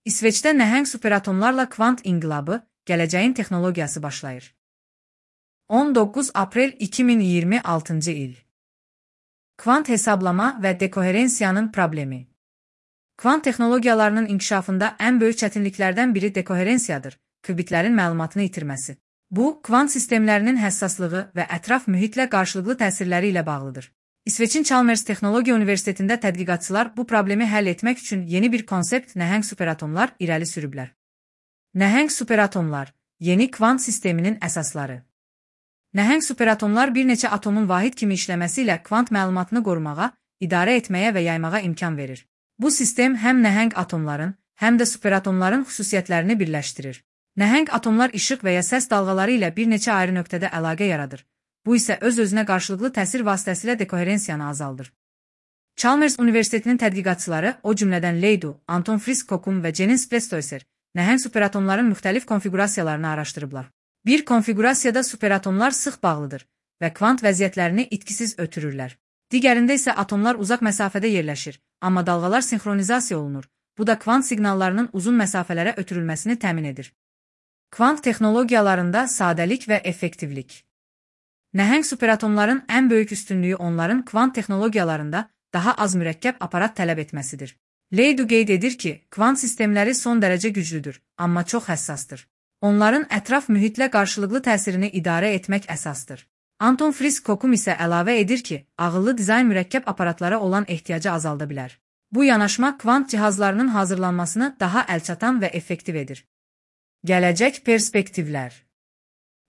İsveçdə nəhəng superatomlarla kvant inqilabı, gələcəyin texnologiyası başlayır. 19 aprel 2026 il. Kvant hesablama və dekoherensiyanın problemi. Kvant texnologiyalarının inkişafında ən böyük çətinliklərdən biri dekoherensiyadır, qübitlərin məlumatını itirməsi. Bu, kvant sistemlərinin həssaslığı və ətraf mühitlə qarşılıqlı təsirləri ilə bağlıdır. İsveçin Chalmers Texnologiya Universitetində tədqiqatçılar bu problemi həll etmək üçün yeni bir konsept nəhəng superatomlar irəli sürüblər. Nəhəng superatomlar, yeni kvant sisteminin əsasları. Nəhəng superatomlar bir neçə atomun vahid kimi işləməsi ilə kvant məlumatını qorumağa, idarə etməyə və yaymağa imkan verir. Bu sistem həm nəhəng atomların, həm də superatomların xüsusiyyətlərini birləşdirir. Nəhəng atomlar işıq və ya səs dalğaları ilə bir neçə ayrı nöqtədə əlaqə yaradır. Bu isə öz-özünə qarşılıqlı təsir vasitəsilə dekoherensiyanı azaldır. Chalmers Universitetinin tədqiqatçıları, o cümlədən Leydu, Anton Frisk-Kokum və Jennings Prestoyser, nəhəng superatomların müxtəlif konfiqurasiyalarını araşdırıblar. Bir konfiqurasiyada superatomlar sıx bağlıdır və kvant vəziyyətlərini itkisiz ötürürlər. Digərində isə atomlar uzaq məsafədə yerləşir, amma dalğalar sinxronizasiya olunur. Bu da kvant siqnallarının uzun məsafələrə ötürülməsini təmin edir. Kvant texnologiyalarında sadəlik və effektivlik. Nəhəng superatomların ən böyük üstünlüyü onların kvant texnologiyalarında daha az mürəkkəb aparat tələb etməsidir. Leydu qeyd edir ki, kvant sistemləri son dərəcə güclüdür, amma çox həssasdır. Onların ətraf mühitlə qarşılıqlı təsirini idarə etmək əsasdır. Anton Frisk-Kokum isə əlavə edir ki, ağıllı dizayn mürəkkəb aparatlara olan ehtiyacı azalda bilər. Bu yanaşma kvant cihazlarının hazırlanmasını daha əlçatan və effektiv edir. Gələcək perspektivlər.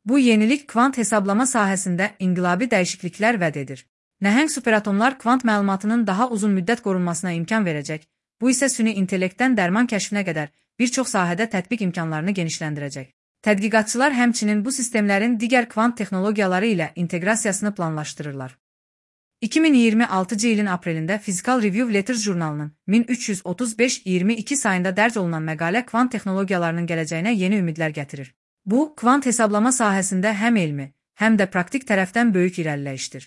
Bu yenilik kvant hesablama sahəsində inqilabi dəyişikliklər vəd edir. Nəhəng superatomlar kvant məlumatının daha uzun müddət qorunmasına imkan verəcək, bu isə süni intellektdən dərman kəşfinə qədər bir çox sahədə tətbiq imkanlarını genişləndirəcək. Tədqiqatçılar həmçinin bu sistemlərin digər kvant texnologiyaları ilə inteqrasiyasını planlaşdırırlar. 2026 ilin aprelində Physical Review Letters jurnalının 1335-22 sayında dərc olunan məqalə kvant texnologiyalarının gələcəyinə yeni ümidlər gətirir. Bu, kvant hesablama sahəsində həm elmi, həm də praktik tərəfdən böyük irəliləyişdir.